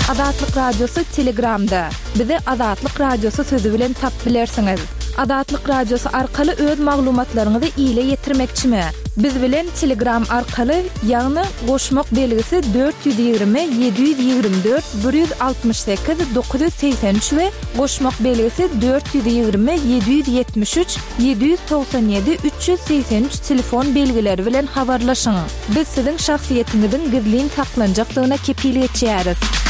Azatlyk Radiosy Telegramda. Bizi Azatlyk Radiosy sözi bilen tap bilersiňiz. Azatlyk Radiosy arkaly öz maglumatlaryňyzy ile ýetirmekçimi? Biz bilen Telegram arkaly, ýagny goşmak belgisi 420 724 168 983 we goşmak belgisi 420 773 797 383 telefon belgileri bilen habarlaşyň. Biz siziň şahsyýetiňiziň gizlin saklanjakdygyna kepil geçýäris.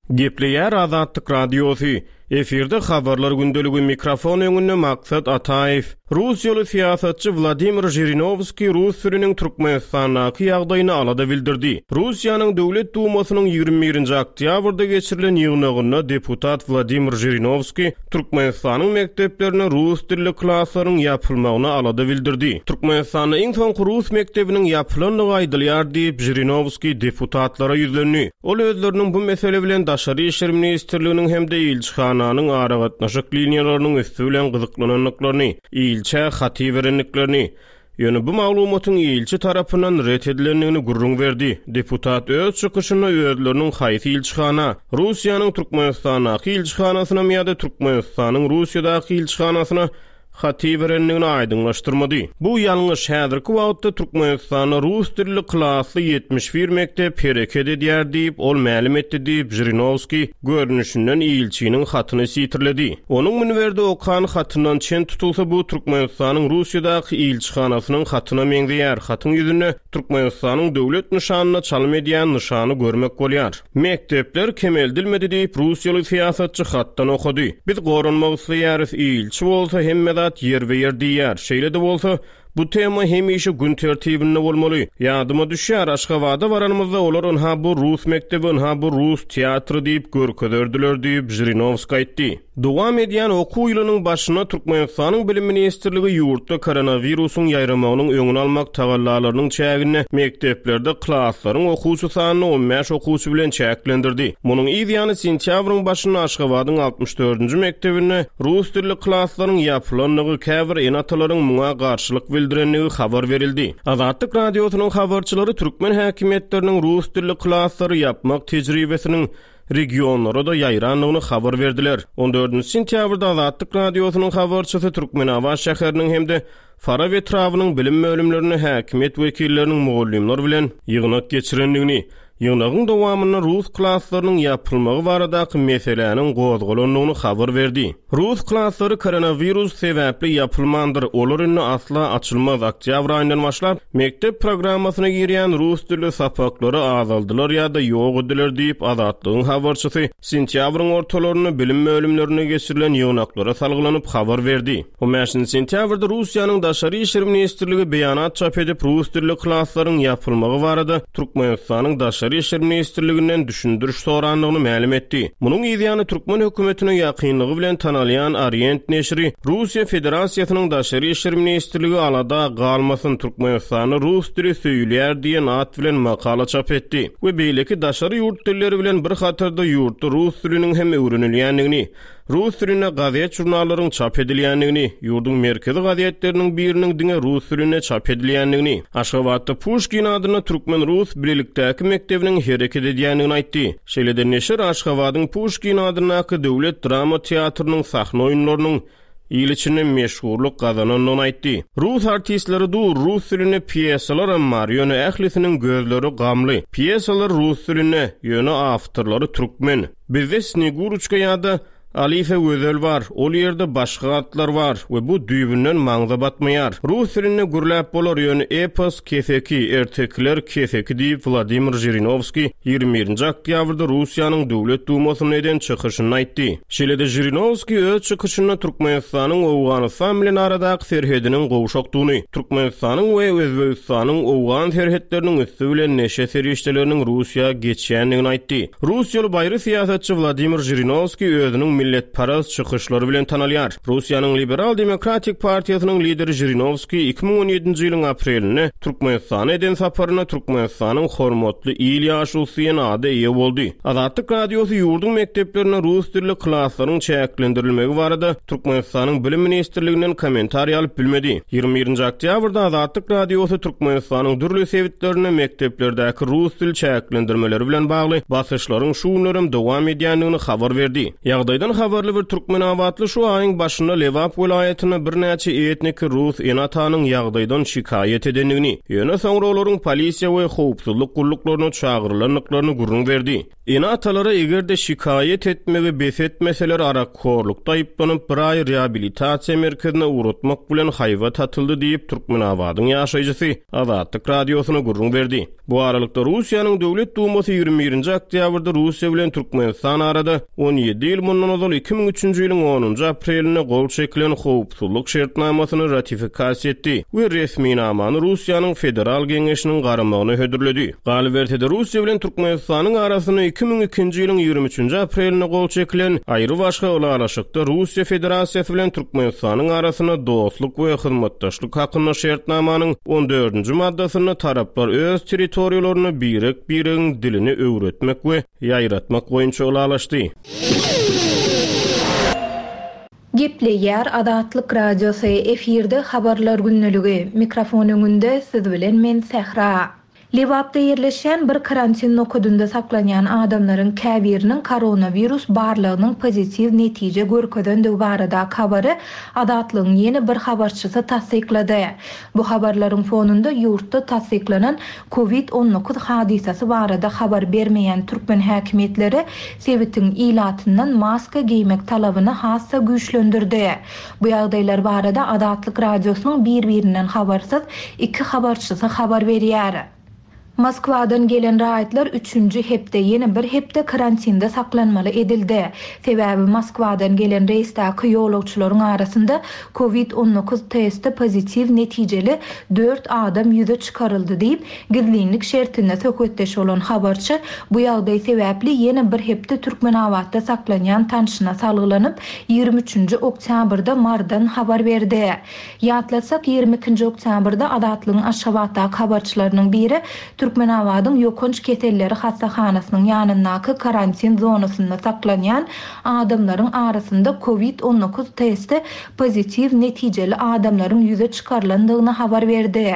Gepleýär Azatlyk Radiosy. Efirde Habarlar gündeligi mikrofon öňünde Maksat Ataýew. Russiýaly syýasatçy Wladimir Žirinowskiý rus diliniň Türkmenistandaky ýagdaýyna alada bildirdi. Russiýanyň Döwlet Dumasynyň 21-nji oktýabrda geçirilen ýygnagynda deputat Wladimir Žirinowskiý Türkmenistanyň mekdeplerinde rus dilli klaslaryň ýapylmagyna alada bildirdi. Türkmenistanda iň soňky rus mekdebiniň ýapylandygy aýdylýar diýip, Žirinowskiý deputatlara ýüzlendi. Ol özleriniň bu mesele bilen Daşary işler ministrliginiň hem-de ilçihananyň aragatnaşyk liniýalarynyň üsti bilen gyzyklanandyklaryny, ilçä hat iberendiklerini, Ýöne bu maglumatyň ilçi tarapyndan ret edilendigini gürrüň berdi. Deputat öz çykyşynda özleriniň haýsy ilçihana, Russiýanyň Türkmenistandaky ilçihanasynamy ýa-da Türkmenistanyň Russiýadaky ilçihanasyna hat iberendigini aýdyňlaşdyrmady. Bu ýalňyş, häzirki wagtda Türkmenistanda rus dilli klasly 71 mekdep hereket edýär diýip, ol mälim etdi diýip, Žirinowskiý görnüşinden ilçiniň hatyny sitirledi. Onuň münberde okan hatyndan çen tutulsa, bu Türkmenistanyň Russiýadaky ilçihanasynyň hatyna meňzeýär, hatyň ýüzünde Türkmenistanyň döwlet nyşanyna çalym edýän nyşany görmek bolýar. Mekdepler kemeldilmedi diýip, russiýaly syýasatçy hatdan okady. Biz goranmak isleýäris, ilçi bolsa hemme zat ýerbe-ýer diýýär. Şeýle-de bolsa, Bu tema hemişe gün tertibinde bolmaly. Ýadyma düşýär, Aşgabada baranymyzda olar ynha bu rus mekdebi, ynha bu rus teatry diýip görkezerdiler diýip, Žirinowskiý aýtdy. Dowam edýän okuw ýylynyň başynda Türkmenistanyň Bilim ministrligi ýurtda koronawirusyň ýaýramagynyň öňüni almak tagallalarynyň çäginde mekdeplerde klaslaryň okuwçy sanyny 15 okuwçy bilen çäklendirdi. Munuň yz ýany sentýabryň başynda Aşgabadyň 64-nji mekdebinde Rus dilli klaslaryň ýapylandygy, käbir ene-atalaryň muňa garşylyk bildirendigi habar berildi. Azatlyk Radiosynyň habarçylary türkmen häkimiýetleriniň rus dilli klaslary ýapmak tejribesiniň regionlara-da ýaýrandygyny habar berdiler. On dördünji sentýabrda Azatlyk Radiosynyň habarçysy Türkmenabat şäheriniň hem-de Farap etrabynyň bilim bölümlerinde häkimiýet wekilleriniň mugallymlar bilen ýygnak geçirendigini, ýygnagyň dowamynda rus klaslarynyň ýapylmagy baradaky meseläniň gozgalandygyny habar berdi. Rus klaslary koronawirus sebäpli ýapylmandyr, olar indi asla açylmaz, oktýabr aýyndan başlap, mekdep programmasyna girýän rus dilli sapaklary azaldylar ýa-da ýok ediler diýip, Azatlygyň habarçysy sentýabryň ortalarynda bilim bölümlerinde geçirilen ýygnaklara salgylanyp habar berdi. On bäşinji sentýabrda Russiýanyň Daşary işler ministrligi beýanat çap edip, rus dilli klaslaryň ýapylmagy barada Türkmenistanyň Daşary işler ministrliginden düşündiriş sorandygyny mälim etdi. Munuň yzýany türkmen hökümetine ýakynlygy bilen tanalýan Orient neşiri Russiýa Federasiýasynyň Daşary işler ministrligi alada galmasyn, Türkmenistanda rus dili söýülýär diýen at bilen makala çap etdi we beýleki daşary ýurt dilleri bilen bir hatarda ýurtda rus diliniň hem öwrenilýändigini, Rus dilinde gazet-žurnallaryň çap edilýändigini, ýurduň merkezi gazetleriniň biriniň diňe rus dilinde çap edilýändigini, Aşgabatda Puşkin adynda türkmen-rus bilelikdäki mekdebiniň hereket edýändigini aýtdy. Şeýle-de neşir Aşgabadyň Puşkin adyndaky döwlet drama teatrynyň sahna oýunlarynyň il içinde meşhurlyk gazanandygyny aýtdy. Rus artistleri dur, rus dilinde pýesalaram bar, ýöne ählisiniň gözleri gamly. Pýesalar rus dilinde, ýöne awtorlary türkmen. Bizde Sneguroçka ýa-da Alisa Gözel bar, ol ýerde başga atlar bar we bu düýbünden maňza batmaýar. Rus dilinde gürläp bolar, ýöne epos keseki, ertekiler keseki diýip, Wladimir Žirinowskiý 21-nji oktýabrda Russiýanyň Döwlet Dumasynda eden çykyşynda aýtdy. Şeýle-de Žirinowskiý öz çykyşynda Türkmenistanyň Owganystan bilen aradaky serhediniň gowşakdygyny, Türkmenistanyň we Özbegistanyň owgan serhetleriniň üsti bilen neşe serişdeleriniň Russiýa geçýändigini aýtdy. Russiýaly baýry syýasatçy Wladimir Žirinowskiý özüniň. milletparaz çykyşlary bilen tanalýar. Russiýanyň Liberal demokratik partiýasynyň lideri Žirinowskiý 2017-nji ýylyň aprelinde Türkmenistana eden saparynda Türkmenistanyň hormatly il ýaşulusy diýen ada eýe boldy. Azatlyk Radiosy ýurduň mekdeplerinde rus dilli klaslaryň çäklendirilmegi barada Türkmenistanyň Bilim ministrliginden kommentariý alyp bilmedi. 21-nji oktýabrda Azatlyk Radiosy Türkmenistanyň dürli sebitlerinde mekdeplerdäki rus dil çäklendirmeleri bilen bagly basyşlaryň şu günlerem dowam edýändigini habar berdi. Ýagdaýdan habarly bir türkmenabatly şu aýyň başynda Lebap welaýatynda birnäçe etniki rus ene-atanyň ýagdaýdan şikaýat edendigini, ýöne soňra olaryň polisiýa we howpsuzlyk gulluklaryna çagyrylandyklaryny gürrüň berdi. Ene-atalara eger-de şikaýat etmegi bes etmeseler arakhorlukda aýyplanyp bir aý reabilitasiýa merkezine ugratmak bilen haýbat atyldy diýip, Türkmenabadyň ýaşaýjysy Azatlyk Radiosyna gürrüň berdi. Bu aralykda, Russiýanyň Döwlet Dumasy 21-nji oktýabrda Russiýa bilen Türkmenistan arada 17 ýyl mundan ozal 2003-nji ýylyň onunjy aprelinde gol çekilen howpsuzlyk şertnamasyny ratifikasiýa etdi we resminamany Russiýanyň Federal Geňeşiniň garamagyna hödürledi. Galyberse-de, Russiýa bilen Türkmenistanyň arasynda 2002-nji ýylyň 23-nji aprelinde gol çekilen aýrybaşga ylalaşykda Russiýa Federasiýasy bilen Türkmenistanyň arasynda dostluk we hyzmatdaşlyk hakynda şertnamanyň on dördünji maddasynda taraplar öz territoriýalarynda birek-biregiň dilini öwretmek we ýaýratmak boýunça ylalaşdy. Gepleýär Azatlyk Radiosy, efirde Habarlar gündeligi, mikrofon öňünde siz bilen men Sähra. Lebapda ýerleşýän bir karantin nokadynda saklanýan adamlaryň käbiriniň koronawirus barlagynyň pozitiw netije görkezendigi baradaky habary Azatlygyň ýene bir habarçysy tassyklady. Bu habarlaryň fonunda ýurtda tassyklanan Covid 19 hadysasy barada habar bermeýän türkmen häkimiýetleri sebitiň ilatyndan maska geýmek talabyny has-da güýçlendirdi. Bu ýagdaýlar barada Azatlyk Radiosynyň bir-birinden habarsyz iki habarçysy habar berýär. Moskwadan gelen raýatlar üçünji hepde, ýene bir hepde karantinde saklanmaly edildi. Sebäbi Moskwadan gelen reýsdaky ýolagçylaryň arasynda Covid 19 testi pozitiw netijeli dört adam ýüze çykaryldy diýip, gizlinlik şertinde söhbetdeş bolan habarçy bu ýagdaý sebäpli ýene bir hepde Türkmenabatda saklanýan tanşyna salgylanyp, 23-nji oktýabrda Marydan habar berdi. Ýatlatsak, 22-nji oktýabrda Azatlygyň Aşgabatdaky habarçylarynyň biri Türkmenabadyň ýokanç keselleri hassahanasynyň ýanyndaky karantin zonasynda saklanýan adamlaryň arasynda Covid 19 testi pozitiw netijeli adamlaryň ýüze çykarylandygyny habar berdi.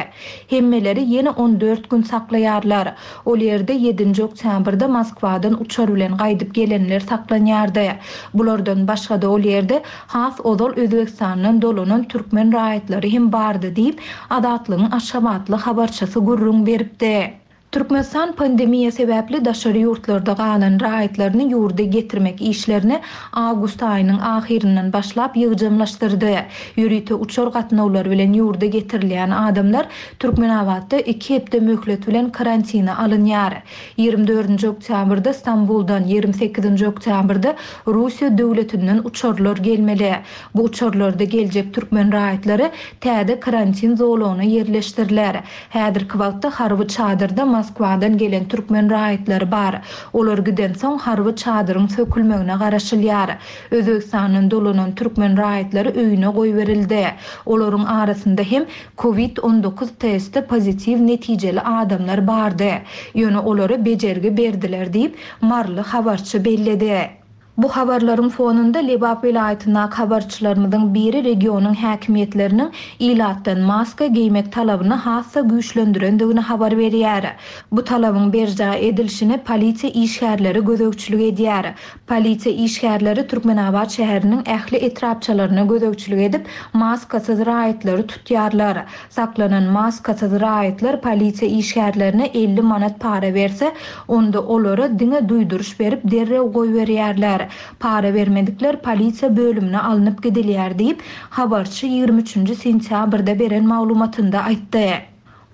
Hemmeleri ýene 14 gün saklaýarlar. Ol ýerde ýedinji oktýabrda Moskwadan uçar bilen gaýdyp gelenler saklanýardy. Bulardan başga-da ol ýerde has ozal Özbegistandan dolanan türkmen raýatlary hem bardy diýip, Azatlygyň aşgabatly habarçysy gürrüň beripdi. Türkmenistan pandemiýa sebäpli daşary ýurtlarda galan raýatlaryny ýurda getirmek işlerini awgust aýynyň ahyryndan başlap ýygjamlaşdyrdy. Ýörite uçar gatnawlary bilen ýurda getirilýän adamlar Türkmenabatda iki hepde möhlet bilen karantine alynýar. 24-nji oktýabrda Stambuldan, 28-nji oktýabrda Russiýa döwletinden uçarlar gelmeli. Bu uçarlarda geljek türkmen raýatlary täze karantin zolagyna ýerleşdiriler. Häzirki wagtda harby çadyrda Moskwadan gelen türkmen raýatlary bar. Olar gidensoň harby çadyryň sökülmegine garaşylýar. Özbegistandan dolanan türkmen raýatlary öýüne goýberildi. Olaryň arasynda hem Covid 19 testi pozitiw netijeli adamlar bardy. Ýöne olara bejergi berdiler diýip, maryly habarçy belledi. Bu habarlaryň fonunda Lebap welaýatyndaky habarçylarymyzyň biri regionyň häkimiýetleriniň ilatdan maska geýmek talabyny has-da güýçlendirendigini habar berýär. Bu talabyň berjaý edilişine polisiýa işgärleri gözegçilik edýär. Polisiýa işgärleri Türkmenabat şäheriniň ähli etrapçalaryna gözegçilik edip, maskasyz raýatlary tutýarlar. Saklanan maskasyz raýatlar polisiýa işgärlerine 50 manat para berse, onda olara diňe duýduryş berip derrew goýberýärler. Para bermedikler polisiýa bölümine alnyp gidilýär diýip, habarçy 23 sentýabrda beren maglumatynda aýtdy.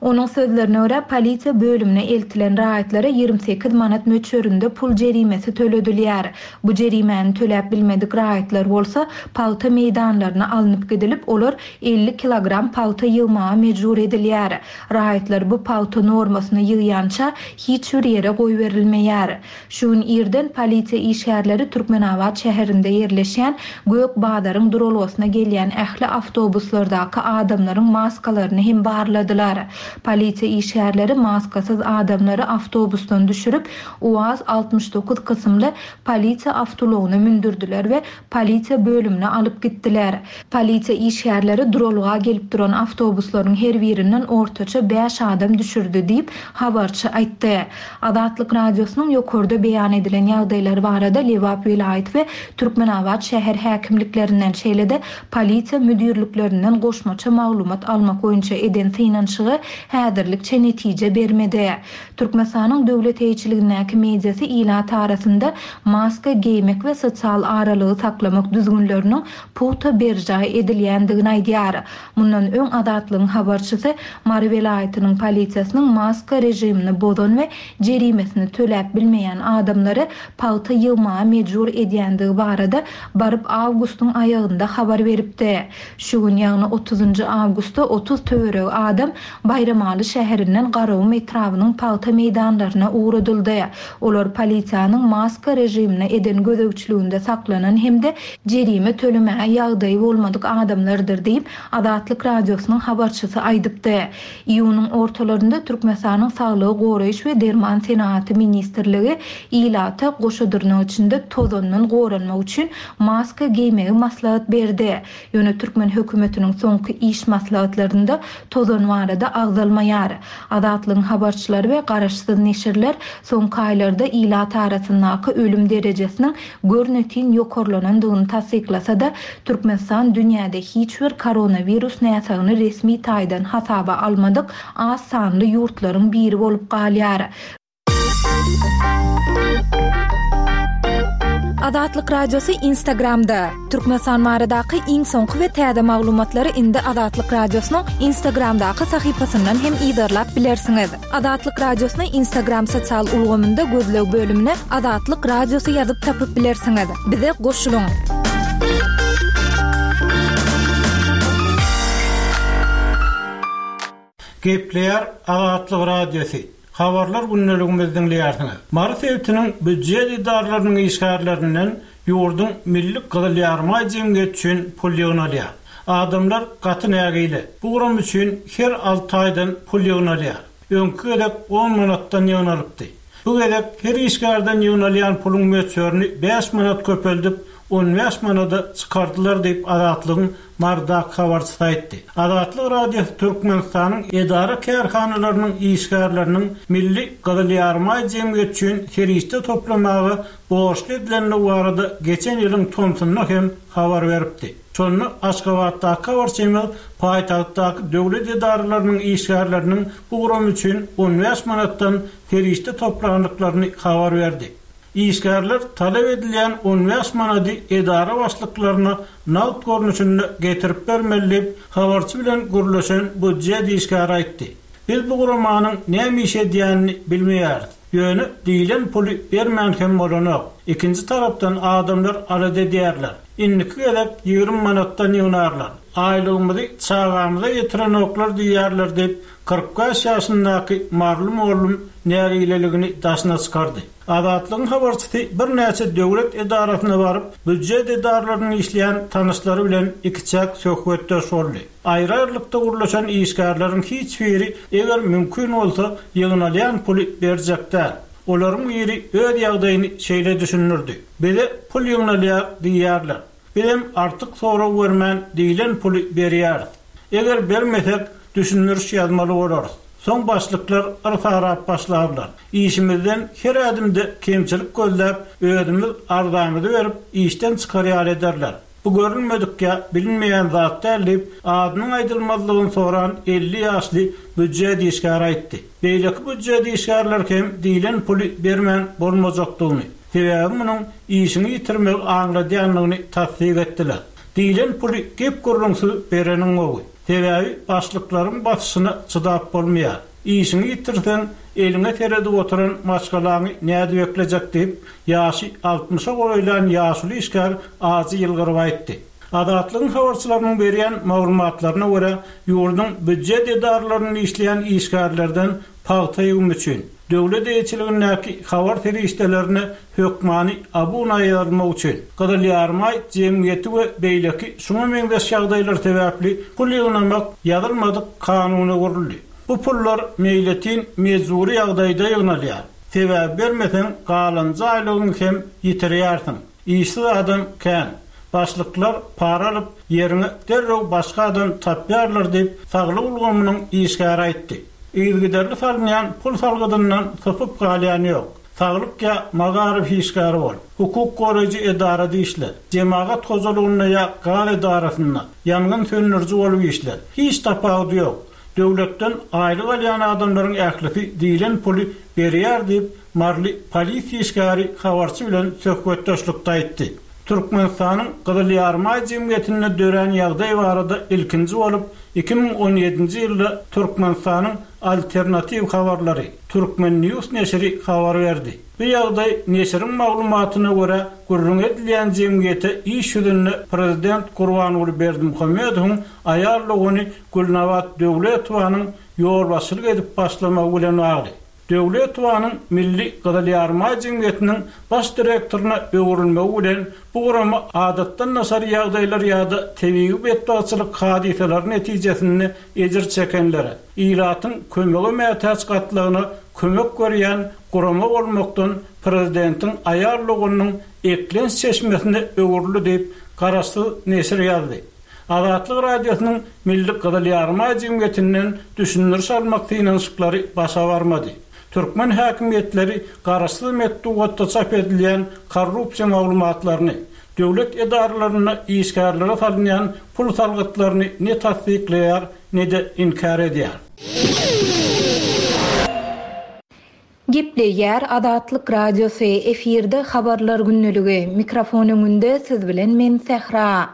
Onuň sözlerine görä, polisiýa bölümine eltilen raýatlara 28 manat möçberinde pul jerimesi töledilýär. Bu jerimäni töläp bilmedik raýatlar bolsa, pagta meýdanlaryna alnyp gidilip, olar 50 kilogram pagta ýygmaga mejbur edilýär. Raýatlar bu pagta normasyny ýygýança hiç bir ýere goýberilmeýär. Şu gün irden polisiýa işgärleri Türkmenabat şäherinde ýerleşýän Gök bazaryň duralgasyna gelýän ähli awtobuslardaky adamlaryň maskalaryny hem barladylar. Polisiýa işgärleri maskasyz adamlary awtobusdan düşürip, UAZ 69 kysymly polisiýa awtoulagyna mündürdiler we polisiýa bölümine alyp gitdiler. Polisiýa işgärleri duralga gelip duran awtobuslaryň her birinden ortaça bäş adam düşürdi diýip, habarçy aýtdy. Azatlyk Radiosynyň ýokarda beýan edilen ýagdaýlar barada Lebap welaýat we Türkmenabat şäher häkimliklerinden, şeýle-de polisiýa müdirliklerinden goşmaça maglumat almak boýunça eden synanyşygy häzirlikçe netije bermedi. Türkmenistanyň döwlet eýeçiligindäki mediasy ilat arasynda maska geýmek we sosial aralygy saklamak düzgünleriniň pugta berjaý edilýändigini aýdýar. Mundan öň Azatlygyň habarçysy Mary welaýatynyň polisiýasynyň maska režimini bozan we jerimesini töläp bilmeýän adamlary pagta ýygmaga mejbur edýändigi barada baryp awgustyň aýagynda habar beripdi. Şu gün, ýagny otuzynjy awgustda 30 töweregi adam Baýramaly şäherinden Garagum etrabynyň pagta meýdanlaryna ugradyldy. Olar polisiýanyň maska režimine eden gözegçiliginde saklanan hem-de jerime tölemäge ýagdaýy bolmadyk adamlardyr diýip, Azatlyk Radiosynyň habarçysy aýdypdy. Iýunyň ortalarynda Türkmenistanyň Saglygy goraýyş we derman senagaty ministrligi ilata goşa dyrnak içinde tozandan goranmak üçin maska geýmegi maslahat berdi. Ýöne türkmen hökümetiniň soňky iş maslahatlarynda tozan barada agzalmaýar. Azatlygyň habarçylary we garaşsyz neşirler soňky aýlarda ilat arasyndaky ölüm derejesiniň görnetin ýokarlanandygyny tassyklasa-da, Türkmenistan dünýäde hiç bir koronawirus näsagyny resmi taýdan hasaba almadyk az sanly ýurtlaryň biri bolup galýar. Azatlyk Radiosy Instagramda, Türkmenistan baradaky iň soňky we täze maglumatlary indi Azatlyk Radiosynyň Instagramdaky sahypasyndan hem yzarlap bilersiňiz. Azatlyk Radiosyny Instagram sosial ulgamynda gözleg bölümine Azatlyk Radiosy ýazyp tapyp bilersiňiz. Bize goşulyň! Gepleýär Azatlyk Radiosy. Habarlar gündeligimizi diňleýärsiňiz. Mary sebitiniň býujet edaralarynyň işgärlerinden ýurduň Milli Gyzyl Ýarymaý jemgyýeti üçin pul ýygnalýar. Adamlar gaty nägile. Bu gurama üçin her alty aýdan pul ýygnalýar. Öňki gezek on manatdan ýygnalypdy. Bu gezek her işgärden ýygnalýan puluň möçberini bäş manat köpeldip, 15 manada çykardylar diýip, Azatlygyň Marydaky habarçysy aýtdy. Azatlyk Radiosy Türkmenistanyň edara-kärhanalarynyň işgärleriniň Milli Gyzyl Ýarymaý jemgyýeti üçin serişde toplamaga borçly edilendigi barada geçen ýylyň tomsunda hem habar beripdi. Şonda Aşgabatdaky habarçymyz paýtagtdaky döwlet edaralarynyň işgärleriniň bu gurama üçin 15 manatdan serişde toplandyklaryny habar berdi. Işgärler talap edilýän 15 manady edara başlyklaryna nagt görnüşinde getirip bermeli diýip, habarçy bilen gürleşen býujet işgäri aýtdy. Biz bu guramanyň näme iş edýänini bilmeýäris. Ýöne diýlen puly bermän hem bolanok. Ikinji tarapdan adamlar alada edýärler. Indiki gezek 20 manatdan ýygnarlar. Aýlygymyzy çagamyza ýetirenoklar diýýärler diýip, 45 ýaşyndaky maryly mugallym nägileligini daşyna çykardy. Azatlygyň habarçysy birnäçe döwlet edarasyna baryp, býujet edaralarynda işleýän tanyşlary bilen ikiçäk söhbetdeş boldy. Aýry-aýrylykda gürleşen işgärleriň hiç biri eger mümkin bolsa ýygnalýan puly berjek däl. Olaryň biri öz ýagdaýyny şeýle düşündirdi, Bize pul ýygnalýar diýýärler. Bizem artyk sorag bermän diýlen puly berýäris. Eger bermesek, düşündiriş ýazmaly bolarys. Soň başlyklar yrsarap başlarlar. Işimizden her ädimde kemçilik gözläp, özümiz arzamyzy berip, işden çykar ýaly ederler. Bu görülmedik ýa bilinmeýän zat däl diýip, adynyň aýdylmazlygyny soran 50 ýaşly býujet işgäri aýtdy. Beýleki býujet işgärleri hem diýlen puly bermän bolmajakdygyny, sebäbi munuň işiňi ýitirmegi aňladýandygyny tassyk etdiler. Diýlen puly gep-gürrüňsiz bereniň gowy. Sebäbi başlyklaryň basyşyna çydap bolmaýar. Işiňi ýitirseň, eliňe seredip oturan maşgalaňy nädip eklejek diýip, ýaşy altmyşa golaýlan ýaşuly işgär ajy ýylgyryp aýtdy. Azatlygyň habarçylarynyň berýän maglumatlaryna görä, ýurduň býujet edaralarynda işleýän işgärlerden pagta ýygymy üçin, döwlet eýeçiligindäki habar serişdelerine hökmany abuna ýazylmak üçin, Gyzyl Ýarymaý jemgyýeti we beýleki şuňa meňzeş ýagdaýlar sebäpli pul ýygnamak ýazylmadyk kanuna öwrüldi. Bu pullar meýletin mejbury ýagdaýda ýygnalýar. Sebäbi bermeseň galanja aýlygyňy hem ýitirýärsiň. Işsiz adam kän. Başlyklar para alyp, ýeriňe derrew başga adam tapýarlar diýip, saglyk ulgamynyň işgäri aýtdy. Yzygiderli salynýan pul salgydyndan sypyp galýan ýok. Saglyk ýa magaryf işgäri bol, hukuk goraýjy edarada işle, jemagat hojalygynda ýa gaz edarasynda, ýangyn söndüriji bolup işle, hiç tapawudy ýok. Döwletden aýlyk alýan adamlaryň ählisi diýlen puly berýär diýip, maryly polisiýa işgäri habarçy bilen söhbetdeşlikde aýtdy. Türkmenistanyň Gyzyl Ýarymaý jemgyýetinde dörän ýagdaý barada ilkinji bolup, 2017-nji ýylda Türkmenistanyň Alternatiw habarlary, Turkmen. News neşiri habar berdi. Bu ýagdaý, neşiriň maglumatyna görä, gürrüňi edilýän jemgyýete iş ýüzünde prezident Gurbanguly Berdimuhamedowyň aýal dogany Gülnabat Döwletowanyň ýolbaşçylyk edip başlamagy bilen bagly. Döwletowanyň Milli Gyzyl Ýarymaý jemgyýetiniň baş direktoryna öwrülmegi bilen bu gurama adatdan daşary ýagdaýlar ýa-da tebigy betbagtçylyk hadysalary netijesinde ejir çekenlere, ilatyň kömege mätäç gatlagyna kömek berýän gurama bolmakdan prezidentiň aýal doganynyň eklenç çeşmesine öwrüldi diýip, garaşsyz neşir ýazdy. Azatlyk Radiosynyň Milli Gyzyl Ýarymaý jemgyýetinden düşündiriş almak synanyşyklary başa barmady. Türkmen häkimiýetleri garaşsyz metbugatda çap edilýän korrupsiýa maglumatlaryny, döwlet edaralarynda işgärlere salynýan pul salgytlaryny ne tassyklaýar, ne-de inkär edýär. Gepleýär Azatlyk Radiosy, efirde Habarlar gündeligi, mikrofon öňünde siz bilen men Sähra.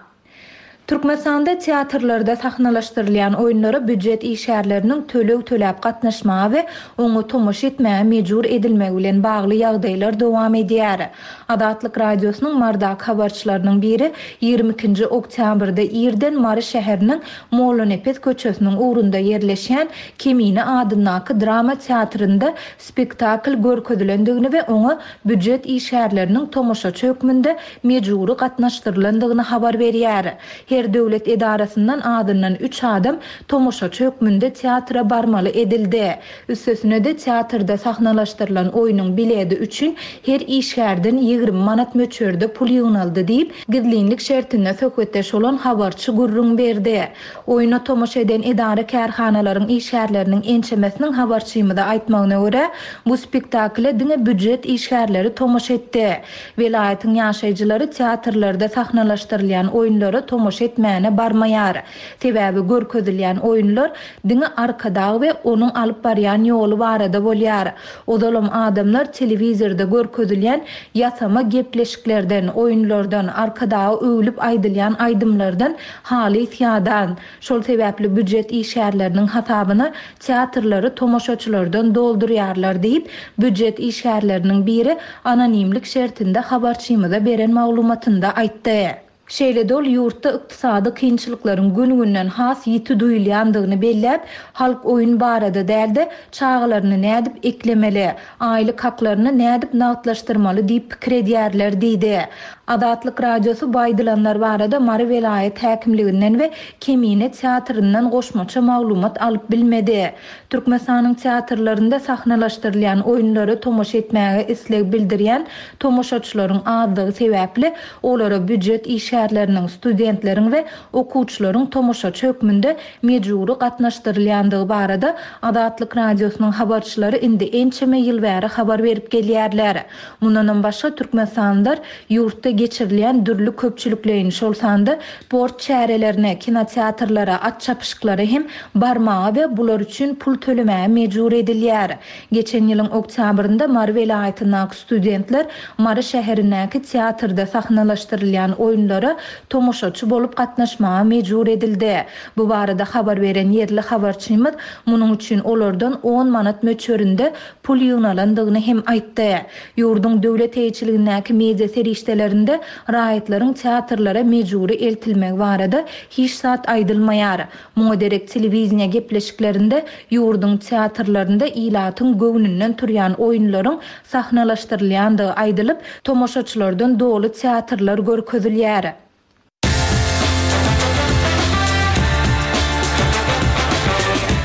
Türkmenistanda teatrlarda sahnalaşdyrylýan oýunlara býujet işgärleriniň töleg töläp gatnaşmaga we oňa tomaşa etmäge mejbur edilmegi bilen bagly ýagdaýlar dowam edýär. Azatlyk Radiosynyň Marydaky habarçylarynyň biri ýigrimi ikinji oktýabrda irden Mary şäheriniň Mollanepes köçesiniň ugrunda ýerleşýän Kemine adyndaky drama teatrynda spektakl görkezilendigini we oňa býujet işgärleriniň tomaşaçy hökmünde mejbury gatnaşdyrylandygyny habar berýär. Her döwlet edarasyndan azyndan üç adam tomaşaçy hökmünde teatra barmaly edildi. Üstesine-de, teatrda sahnalaşdyrylan oýnuň biledi üçin her işgärden 20 manat möçberde pul ýygnaldy diýip, gizlinlik şertinde söhbetdeş bolan habarçy gürrüň berdi. Oýna tomaşa eden edara-kärhanalaryň işgärleriniň ençemesiniň habarçymyza aýtmagyna görä, bu spektakla diňe býujet işgärleri tomaşa etdi. Welaýatyň ýaşaýjylary teatrlarda sahnalaşdyrylýan oýunlara tomaşa etmäne barmaýar. Sebäbi görkezilýän oýunlar diňe Arkadag we onuň alyp barýan ýoly barada bolýar. Ozalam adamlar telewizorda görkezilýän ýasama gepleşiklerden, oýunlardan, Arkadaga öwlüp aýdylýan aýdymlardan halys ýadan. Şol sebäpli býujet işgärleriniň hasabyna teatrlary tomaşaçylardan doldurýarlar diýip, býujet işgärleriniň biri anonimlik şertinde habarçymyza beren maglumatynda aýtdy. Şeýle-de ol ýurtda ykdysady kynçylyklaryň gün-günden has ýiti duýulýandygyny belläp, halk oýun barada däl-de, çagalaryny nädip eklemeli, aýlyk haklaryny nädip nagtlaşdyrmaly diýip pikir edýärler diýdi. Azatlyk Radiosy bu aýdylanlar barada Mary welaýat häkimliginden we Kemine teatryndan goşmaça maglumat alyp bilmedi. Türkmenistanyň teatrlarynda sahnalaşdyrylýan oýunlara tomaşa etmäge isleg bildirýän tomaşaçylaryň azlygy sebäpli, olara býujet işgärleriniň, studentleriň we okuwçylaryň tomaşaçy hökmünde mejbury gatnaşdyrylýandygy barada Azatlyk Radiosynyň habarçylary indi ençeme ýyl bäri habar berip gelýärler. Mundanam başga, türkmenistanlylar ýurtda geçirilýän dürli köpçülikleýin, şol sanda sport çärelerine, kinoteatrlara, at çapyşyklara hem barmaga we bular üçin pul tölemäge mejbur edilýär. Geçen ýylyň oktýabrynda Mary welaýatyndaky studentler Mary şäherindäki teatrda sahnalaşdyrylýan oýunlara. teatrda tomaşaçy bolup gatnaşmaga mejbur edildi. Bu barada habar beren ýerli habarçymyz munuň üçin olardan on manat möçberinde pul ýygnalandygyny hem aýtdy. Ýurduň döwlet eýeçiligindäki media serişdelerinde raýatlaryň teatrlara mejbury eltilmegi barada hiç zat aýdylmaýar. Muňa derek telewideniýe gepleşiklerinde ýurduň teatrlarynda ilatyň göwnünden turýan oýunlaryň sahnalaşdyrylýandygy aýdylyp, tomaşaçylardan doly teatrlar görkezilýär.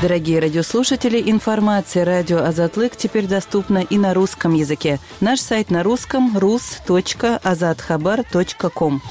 Дорогие радиослушатели, информация радио Азатлык теперь доступна и на русском языке. Наш сайт на русском rus.azathabar.com.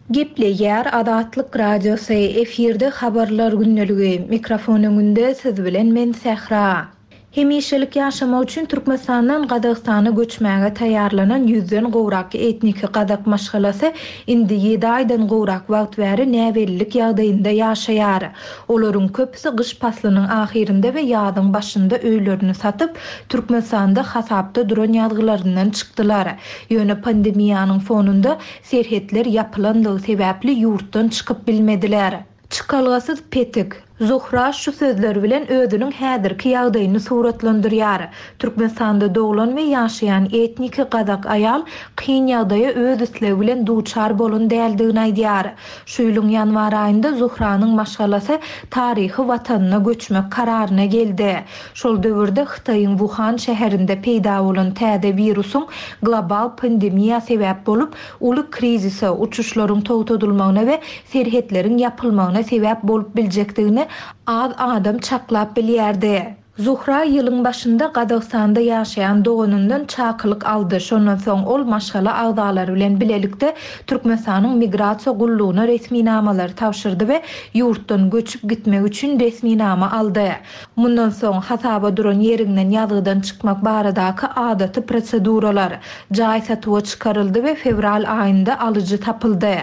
Gepleýär Azatlyk Radiosy, efirde Habarlar gündeligi, mikrofon öňünde siz bilen men Sähra. Hemişelik ýaşamak üçin Türkmenistandan Gazagystana göçmäge taýýarlanan ýüzden gowrak etniki gazak maşgalasy indi ýedi aýdan gowrak wagt bäri näbellilik ýagdaýynda ýaşaýar. Olaryň köpüsi gyş paslynyň ahyrynda we ýazyň başynda öýlerini satyp, Türkmenistanda hasapda duran ýazgylaryndan çykdylar. Ýöne pandemiýanyň fonunda serhetler ýapylanlygy sebäpli ýurtdan çykyp bilmediler. Çykalgasyz petik. Zuhra şu sözler bilen özüniň häzirki ýagdaýyny suratlandyrýar. Türkmenistanda doglan we ýaşaýan etniki gazak aýal kyn ýagdaýa öz islegi bilen duçar bolan däldigini aýdýar. Şu ýylyň ýanwar aýynda Zuhranyň maşgalasy taryhy watanyna göçmek kararyna geldi. Şol döwürde Hytaýyň Wuhan şäherinde peýda bolan täze wirusyň global pandemiýa sebäp bolup, uly krizise, uçuşlaryň togtadylmagyna we serhetleriň ýapylmagyna sebäp bolup biljekdigini az adam çaklap bilýärdi. Zuhra ýylyň başynda Gazagystanda ýaşaýan doganyndan çakylyk aldy, şondan soň ol maşgala agzalary bilen bilelikde Türkmenistanyň Migrasiýa gullugyna resminamalary tabşyrdy we ýurtdan göçüp gitmek üçin resminama aldy. Mundan soň, hasaba duran ýeriňden ýazgydan çykmak baradaky adaty proseduralar, jaý satuwa çykaryldy we fewral aýynda alyjy tapyldy.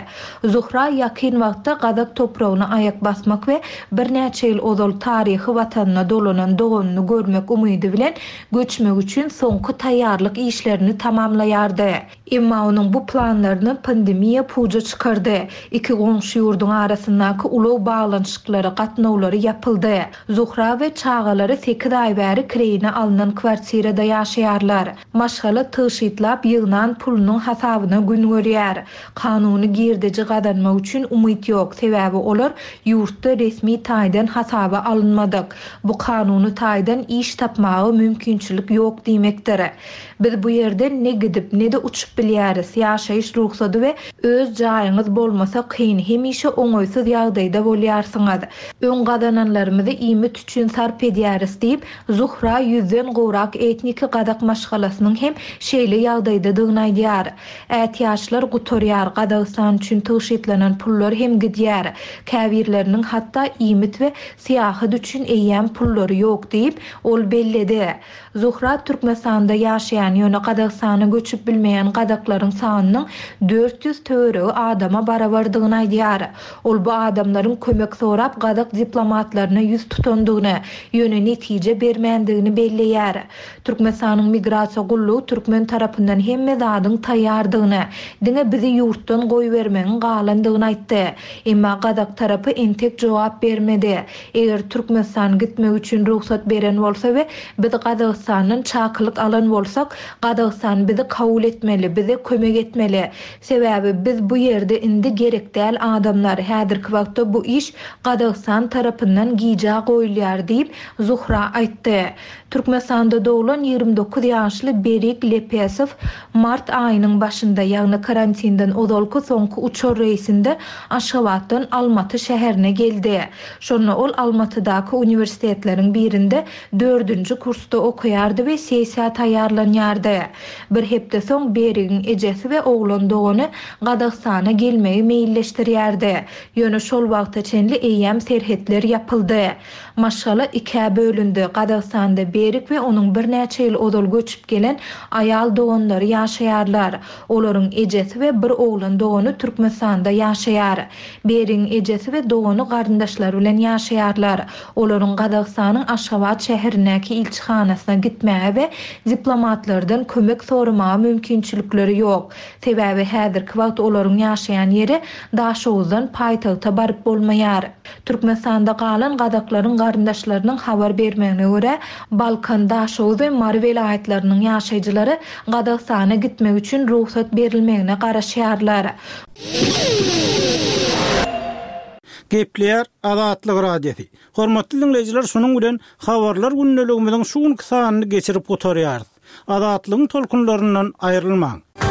Zuhra ýakyn wagtda gazak topragyna aýak basmak we birnäçe ýyl ozal taryhy watanyna dolanan doganyny görmek umydy bilen göçmek üçin soňky taýýarlyk işlerini tamamlaýardy. Emma onuň bu planlaryny pandemiýa puja çykardy. Iki goňşy ýurduň arasyndaky ulag baglanyşyklary, gatnawlary ýapyldy. Zuhra we çagalary sekiz aý bäri kireýine alnan kwartirada ýaşaýarlar. Maşgala tygşytlap ýygnan pulunyň hasabyna gün görýär. Kanuny girdeji gazanmak üçin umyt ýok, sebäbi olar ýurtda resmi taýdan hasaba alynmadyk. Bu kanuny taýdan iş tapmaga mümkinçilik ýok diýmekdir. Biz bu ýerden ne gidip, ne-de uçup bilýäris. Ýaşaýyş rugsady we öz jaýyňyz bolmasa kyn, hemişe oňaýsyz ýagdaýda bolýarsyňyz. Öň gazananlarymyzy iýmit üçin sarp edýäris diýip, Zuhra ýüzden gowrak etniki gazak maşgalasynyň hem şeýle ýagdaýdadygyny aýdýar. Ätiýaçlar gutarýar, Gazagystan üçin tygşytlanan pullar hem gidýär. Käbirleriniň hatda iýmit we syýahat üçin eýýäm pullary ýok diýip, ol belledi. Zuhra Türkmenistanda ýaşaýan, ýöne Gazagystana göçüp bilmeýän gazaklaryň sanynyň 400 töweregi adama barabardygyny aýdýar. Ol bu adamlaryň kömek sorap gazak diplomatlaryna ýüz tutandygyny, ýöne netije bermändigini belleýär. Türkmenistanyň Migrasiýa gullugy türkmen tarapyndan hemme zadyň taýýardygyny, diňe bizi ýurtdan goýbermegiň galandygyny aýtdy. Emma gazak tarapy entek jogap bermedi. Eger Türkmenistan gitmek üçin rugsat beren bolsa we biz Gazagystandan çakylyk alan bolsak, Gazagystan bizi kabul etmeli, bize kömek etmeli. Sebäbi biz bu ýerde indi gerek däl adamlar, häzirki wagtda bu iş Gazagystan tarapyndan gijä goýulýar diýip, Zuhra aýtdy. Türkmenistanda doglan 29 ýaşly Berik Lepesow mart aýynyň başynda, ýagny karantinden ozalky soňky uçar reýsinde Aşgabatdan Almaty şäherine geldi. Şonda ol Almatydaky uniwersitetleriň birinde dördünji kursda okaýardy we sessiýa taýýarlanýardy. Bir hepde soň Berigiň ejesi we oglan dogany Gazagystana gelmegi meýilleşdirýärdi. Ýöne şol wagta çenli eýýäm serhetler ýapyldy. Maşgala ikä bölündi, Gazagystanda Berik we onuň birnäçe ýyl ozal göçüp gelen aýal doganlary ýaşaýarlar. Olaryň ejesi we bir oglan dogany Türkmenistanda ýaşaýar. Berigiň ejesi we dogany garyndaşlary bilen ýaşaýarlar. Olaryň Gazagystanyň Aşgabat. Aşgabat şäherindäki ilçihanasyna gitmäge we diplomatlardan kömek soramaga mümkinçilikleri ýok. Sebäbi häzirki wagt olaryň ýaşaýan ýeri Daşoguzdan paýtagta baryp bolmaýar. Türkmenistanda galan gazaklaryň garyndaşlarynyň habar bermegine görä, Balkan, Daşoguz we Mary welaýatlarynyň ýaşaýjylary Gazagystana gitmek üçin rugsat berilmegine garaşýarlar. Gepleýär Azatlyk Radiosy. Hormatly diňleýjiler şunuň bilen Habarlar gündeligimiziň şu günki sanyny geçirip gutarýarys. Azatlygyň tolkunlaryndan aýrylmaň.